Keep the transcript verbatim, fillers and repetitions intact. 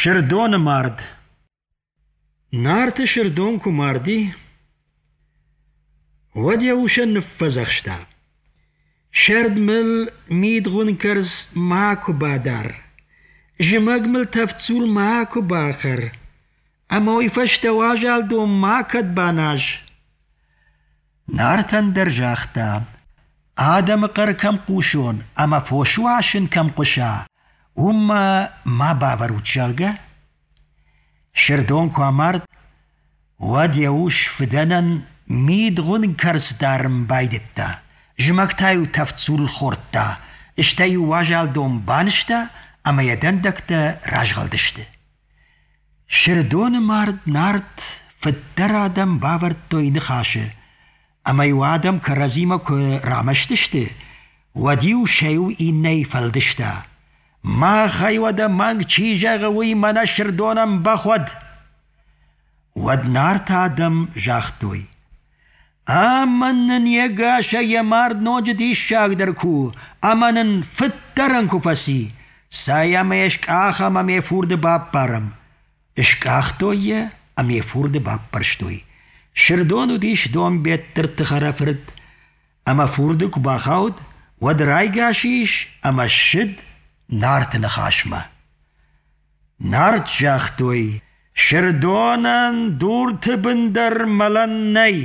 Сырдоны мард. Нарты Сырдон куы марди, уӕд йӕ усӕн ныффӕдзӕхста: Сӕрд мыл мидгъуын кӕрц макуы бадар, зымӕг мыл тӕвдцул макуы бахӕр, ӕмӕ уый фӕстӕ уазал дон макӕд баназ. Нартӕн дӕр загъта: Адӕмы хъӕр кӕм хъусон ӕмӕ фосы уасын кӕм хъуыса, уым мӕ ма бавӕрут, зӕгъгӕ. Сырдон куы амард, уӕд йӕ ус фыдӕнӕн мидгъуын кӕрц дарын байдыдта, зымӕг та-иу тӕвдцул хордта, стӕй-иу уазал дон банызта ӕмӕ йӕ дӕндӕгтӕ разгъӕлдысты. Сырдоны мард Нарт фыддӕр адӕм бавӕрдтой ныхасы, ӕмӕ-иу адӕм кӕрӕдзимӕ куы рамӕсты сты, уӕд-иу сӕ иу иннӕйы фӕлдыста: «Махӕй уӕдӕ мӕнг чи зӕгъы, уый мӕнӕ Сырдонӕн бӕх уӕд!» Уӕд Нарты адӕм загътой: «Ӕмӕ нын йе гасӕй йӕ мард ноджы диссагдӕр куы у, ӕмӕ нын фыддӕрӕн куы фӕци! Цӕй ӕмӕ йӕ скъахӕм ӕмӕ йӕ фурды баппарӕм!» Скъахтой йӕ ӕмӕ йӕ фурды баппӕрстой. Сырдон уыдис Донбеттырты хӕрӕфырт, ӕмӕ фурды куы бахауд, уӕд райгас ис ӕмӕ ссыд Нарты ныхасмӕ. Нарт загътой: Сырдонӕн дурты бын дӕр мӕлӕн нӕй.